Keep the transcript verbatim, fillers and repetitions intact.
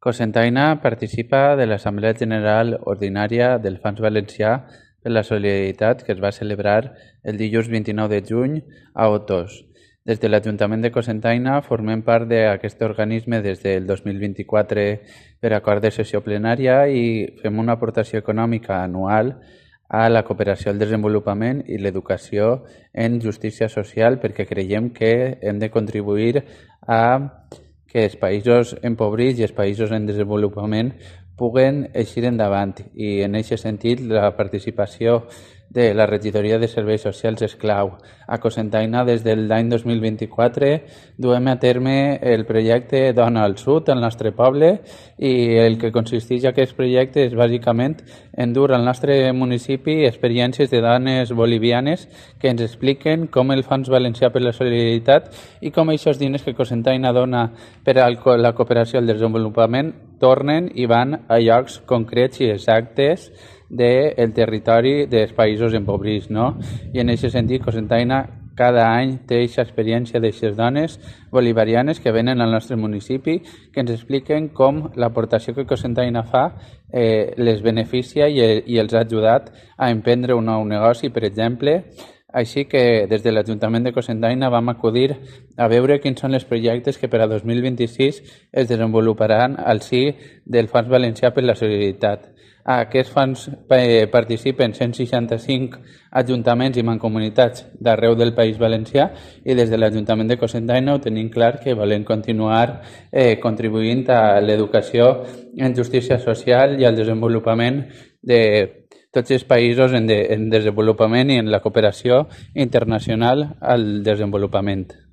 Cocentaina participa de l'Assemblea General Ordinària del Fons Valencià per la Solidaritat que es va celebrar el dilluns vint-i-nou de juny a Otos. Des de l'Ajuntament de Cocentaina formem part d'aquest organisme des del dos mil vint-i-quatre per acord de sessió plenària i fem una aportació econòmica anual a la cooperació al desenvolupament i l'educació en justícia social perquè creiem que hem de contribuir a que els països empobrits i els països en desenvolupament puguen eixir endavant i en aquest sentit la participació de la regidoria de serveis socials és clau. A Cocentaina des de l'any dos mil vint-i-quatre duem a terme el projecte Dona al Sud al nostre poble i el que consisteix aquest projecte és bàsicament en dur al nostre municipi experiències de dones bolivianes que ens expliquen com el Fons Valencià per la Solidaritat i com aquests diners que Cocentaina dona per a la cooperació al desenvolupament tornen i van a llocs concrets i exactes del territori dels països empobrits, no? I en aquest sentit, Cocentaina cada any té aquesta experiència d'aquestes dones bolivarianes que venen al nostre municipi, que ens expliquen com l'aportació que Cocentaina fa eh, les beneficia i, i els ha ajudat a emprendre un nou negoci, per exemple. Així que des de l'Ajuntament de Cocentaina vam acudir a veure quins són els projectes que per a dos mil vint-i-sis es desenvoluparan al si del Fons Valencià per la Solidaritat. A aquest fons participen cent seixanta-cinc ajuntaments i mancomunitats d'arreu del País Valencià i des de l'Ajuntament de Cocentaina ho tenim clar que volem continuar eh, contribuint a l'educació en justícia social i al desenvolupament de tots els països en, de, en desenvolupament i en la cooperació internacional al desenvolupament.